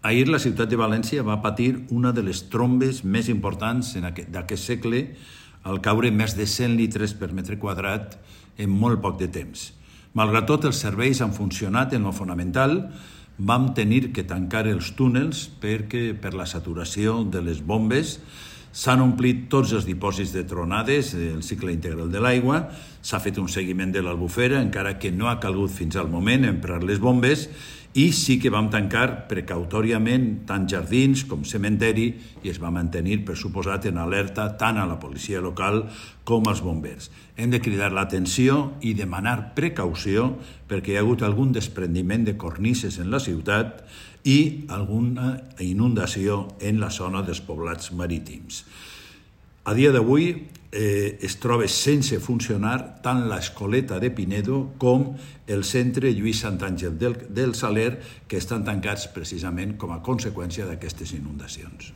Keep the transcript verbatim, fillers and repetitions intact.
Ahir la ciutat de València va patir una de les trombes més importants d'aquest segle al caure més de cent litres per metre quadrat en molt poc de temps. Malgrat tot, els serveis han funcionat en lo fonamental. Vam tenir que tancar els túnels perquè per la saturació de les bombes s'han omplit tots els dipòsits de tronades, el cicle integral de l'aigua, s'ha fet un seguiment de l'albufera, encara que no ha calgut fins al moment emprar les bombes, i sí que vam tancar precautòriament tant jardins com cementeri i es va mantenir, per suposat, en alerta tant a la policia local com als bombers. Hem de cridar l'atenció i demanar precaució perquè hi ha hagut algun desprendiment de cornises en la ciutat i alguna inundació en la zona dels poblats marítims. A dia d'avui eh, es troba sense funcionar tant l'Escoleta de Pinedo com el centre Lluís Santàngel del, del Saler, que estan tancats precisament com a conseqüència d'aquestes inundacions.